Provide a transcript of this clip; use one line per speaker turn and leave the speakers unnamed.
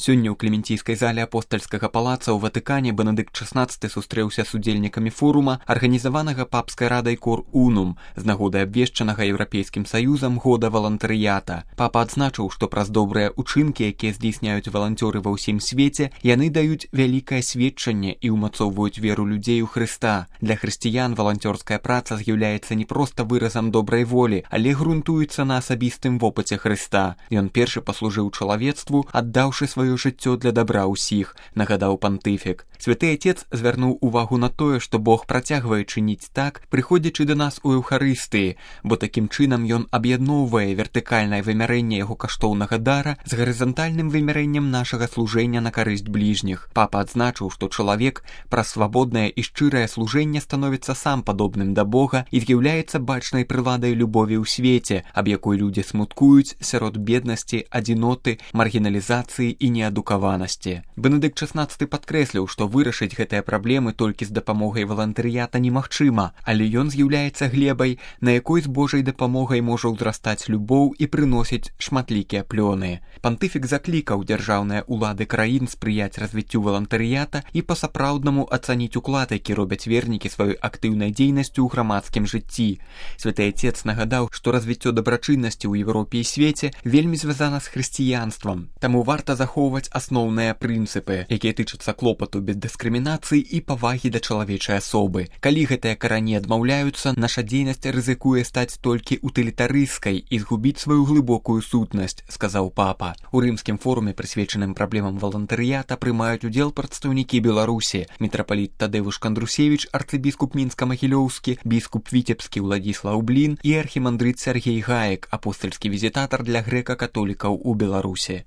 Сёння ў клементійскай зале апостальскага палаца ў Ватыкане Бенедыкт XVI сустрэўся з удзельнікамі форума, арганізаванага папскай радай Cor Unum з нагоды абвешчанага Еўрапейскім саюзам года валантарыята. Папа адзначыў, што праз добрыя ўчынкі, якія здзейсняюць валанцёры ва ўсім свеце, яны даюць вялікае сведчанне і ўмацоўваюць веру людзей у Хрыста. Для хрысціян валанцёрская праца з'яўляецца не проста выразам добрай волі, але грунтуецца на асабістым вопыце Хрыста. Ён першы паслужыў чалавецтву, аддаўшы сваё жыццё для дабра ўсіх, нагадаў пантыфік. Святы Отец звярнуў увагу на тое, што Бог працягвае чыніць так, прыходзячы да нас у Еўхарыстыі, бо такім чынам ён аб'ядноўвае вертыкальнае вымярэнне яго каштоўнага дара з гарызантальным вымярэннем нашага служэння на карысць бліжніх. Папа адзначыў, што чалавек праз свабоднае і шчырае служэнне становіцца сам падобным да Бога і з'яўляецца бачнай прыладай любові ў свеце, аб якой людзі смуткуюць сярод беднасці, адзіноты, маргіналізацыі і неадукаванасці. Бенедыкт XVI падкрэсліў, што вырашыць гэтыя праблемы толькі з дапамогай валантарыята немагчыма, але ён з'яўляецца глебай, на якой з Божай дапамогай можа ўзрастаць любоў і прыносіць шматлікія плёны. Пантыфік заклікаў дзяржаўныя ўлады краін спрыяць развіццю валантарыята і па-сапраўднаму ацаніць уклад, які робяць вернікі сваёй актыўнай дзейнасцю ў грамадскім жыцці. Святы Отец нагадаў, што развіццё дабрачыннасці ў Еўропе і свеце вельмі звязана з хрысціянствам. Таму варта захоўваць асноўныя прынцыпы, якія тычацца клопату без дыскрымінацыі і павагі да чалавечай асобы. Калі гэтыя карані адмаўляюцца, наша дзейнасць рызыкуе стаць толькі утылітарысцкай і згубіць сваю глыбокую сутнасць, сказаў папа. У рымскім форуме, прысвечаным праблемам валантарыята, прымаюць удзел прадстаўнікі Беларусі: мітрапаліт Тадэвуш Кандрусевіч, арцыбіскуп Мінска-Магілёўскі, біскуп Віцебскі Уладзіслаў Блін і архімандрыт Сяргей Гаек, апостальскі візітатар для грэка-католікаў у Беларусі.